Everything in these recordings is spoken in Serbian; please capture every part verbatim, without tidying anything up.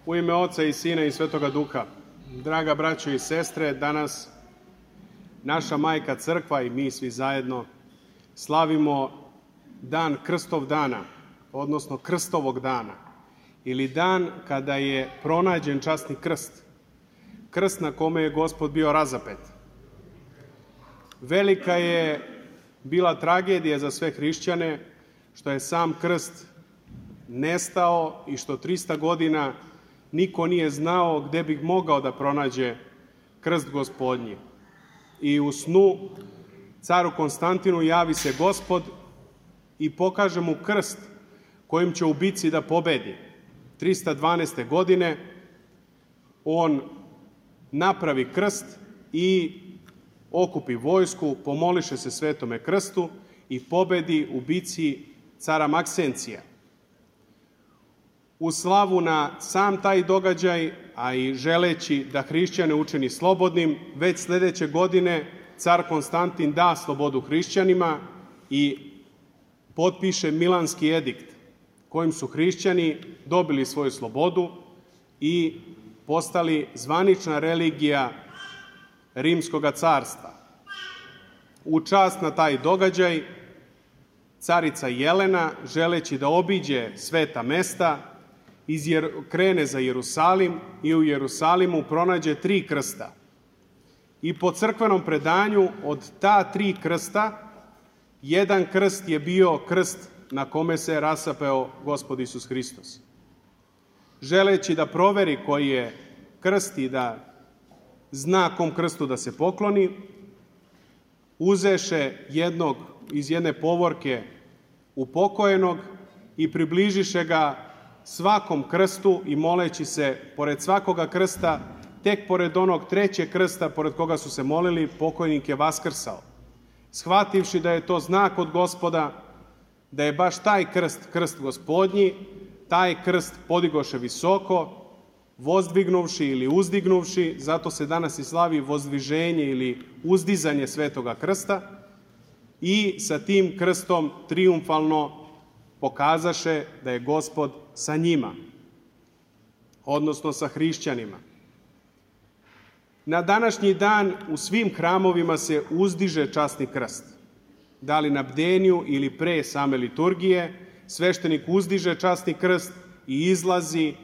U ime Oca i Sina i Svetoga Duha, draga braćo i sestre, danas naša majka crkva i mi svi zajedno slavimo dan Krstov dana, odnosno Krstovog dana, ili dan kada je pronađen časni krst, krst na kome je Gospod bio razapet. Velika je bila tragedija za sve hrišćane što je sam krst nestao i što trista godina niko nije znao gde bi mogao da pronađe krst Gospodnji. I u snu caru Konstantinu javi se Gospod i pokaže mu krst kojim će u bici da pobedi. trista dvanaeste. godine on napravi krst i okupi vojsku, pomoliše se Svetome krstu i pobedi u bici cara Maksencija. U slavu na sam taj događaj, a i želeći da hrišćane učini slobodnim, već sledeće godine car Konstantin da slobodu hrišćanima i potpiše Milanski edikt, kojim su hrišćani dobili svoju slobodu i postali zvanična religija Rimskog carstva. U čast na taj događaj, carica Jelena, želeći da obiđe sveta mesta, krene za Jerusalim i u Jerusalimu pronađe tri krsta. I po crkvenom predanju od ta tri krsta, jedan krst je bio krst na kome se rasapeo Gospod Isus Hristos. Želeći da proveri koji je krst i da zna kom krstu da se pokloni, uzeše jednog iz jedne povorke upokojenog i približiše ga svakom krstu i moleći se pored svakoga krsta, tek pored onog trećeg krsta pored koga su se molili, pokojnik je vaskrsao. Shvativši da je to znak od Gospoda, da je baš taj krst, krst Gospodnji, taj krst podigoše visoko, vozdvignuvši ili uzdignuvši, zato se danas i slavi vozdviženje ili uzdizanje Svetoga krsta, i sa tim krstom triumfalno pokazaše da je Gospod sa njima, odnosno sa hrišćanima. Na današnji dan u svim hramovima se uzdiže časni krst. Da li na bdenju ili pre same liturgije, sveštenik uzdiže časni krst i izlazi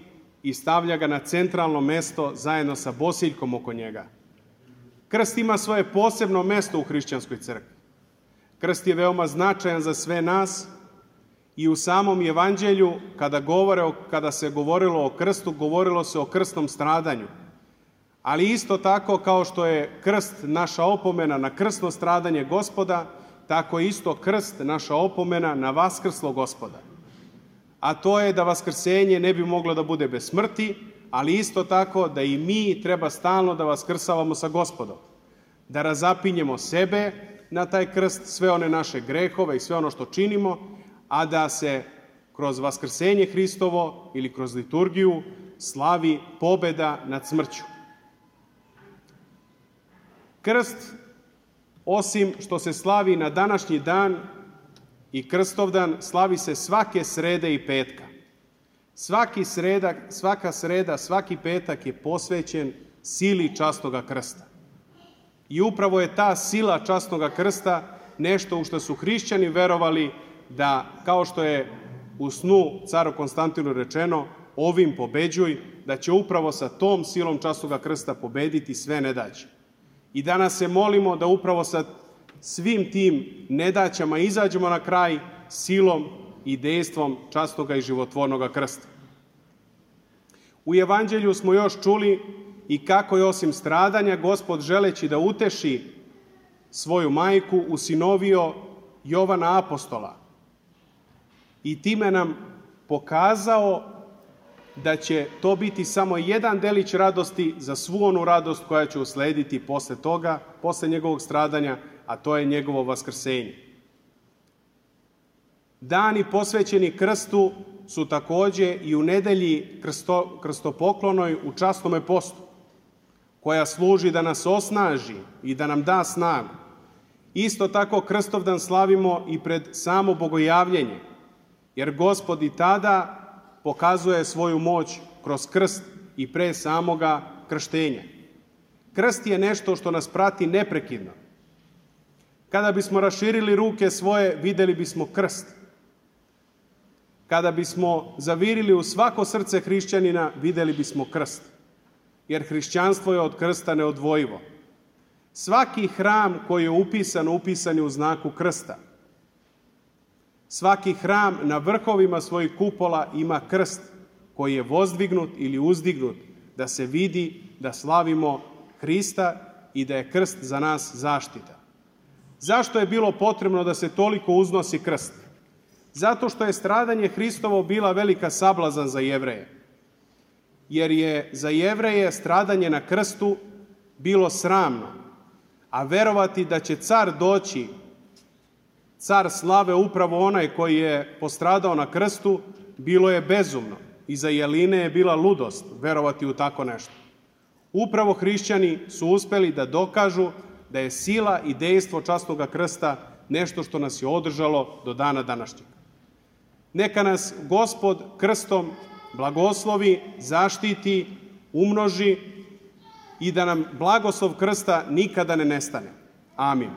i stavlja ga na centralno mesto zajedno sa bosiljkom oko njega. Krst ima svoje posebno mesto u hrišćanskoj crkvi. Krst je veoma značajan za sve nas i u samom evanđelju kada, govore, kada se govorilo o krstu, govorilo se o krstnom stradanju. Ali isto tako kao što je krst naša opomena na krstno stradanje Gospoda, tako je isto krst naša opomena na vaskrslo Gospoda. A to je da vaskrsenje ne bi moglo da bude bez smrti, ali isto tako da i mi treba stalno da vaskrsavamo sa Gospodom. Da razapinjemo sebe na taj krst, sve one naše grehove i sve ono što činimo, a da se kroz vaskrsenje Hristovo ili kroz liturgiju slavi pobeda nad smrću. Krst, osim što se slavi na današnji dan i Krstovdan, slavi se svake srede i petka. Svaki sreda, svaka sreda, svaki petak je posvećen sili časnoga krsta. I upravo je ta sila časnoga krsta nešto u što su hrišćani verovali da, kao što je u snu caru Konstantinu rečeno, ovim pobeđuj, da će upravo sa tom silom časnoga krsta pobediti sve nedaće. I danas se molimo da upravo sa svim tim nedaćama izađemo na kraj silom i dejstvom časnoga i životvornoga krsta. U evanđelju smo još čuli i kako je osim stradanja Gospod, želeći da uteši svoju majku, usinovio Jovana apostola i time nam pokazao da će to biti samo jedan delić radosti za svu onu radost koja će uslediti posle toga, posle njegovog stradanja, a to je njegovo vaskrsenje. Dani posvećeni krstu su takođe i u nedelji krsto, krstopoklonoj u časnome postu, koja služi da nas osnaži i da nam da snagu. Isto tako Krstovdan slavimo i pred samo bogojavljenje, jer Gospod i tada pokazuje svoju moć kroz krst i pre samoga krštenja. Krst je nešto što nas prati neprekidno. Kada bismo raširili ruke svoje, videli bismo krst. Kada bismo zavirili u svako srce hrišćanina, videli bismo krst. Jer hrišćanstvo je od krsta neodvojivo. Svaki hram koji je upisan, upisan je u znaku krsta. Svaki hram na vrhovima svojih kupola ima krst koji je vozdvignut ili uzdignut, da se vidi da slavimo Hrista i da je krst za nas zaštita. Zašto je bilo potrebno da se toliko uznosi krst? Zato što je stradanje Hristovo bila velika sablazan za Jevreje. Jer je za Jevreje stradanje na krstu bilo sramno, a verovati da će car doći, car slave upravo onaj koji je postradao na krstu, bilo je bezumno. I za Jeline je bila ludost verovati u tako nešto. Upravo hrišćani su uspeli da dokažu da je sila i dejstvo časnog krsta nešto što nas je održalo do dana današnjeg. Neka nas Gospod krstom blagoslovi, zaštiti, umnoži i da nam blagoslov krsta nikada ne nestane. Amin.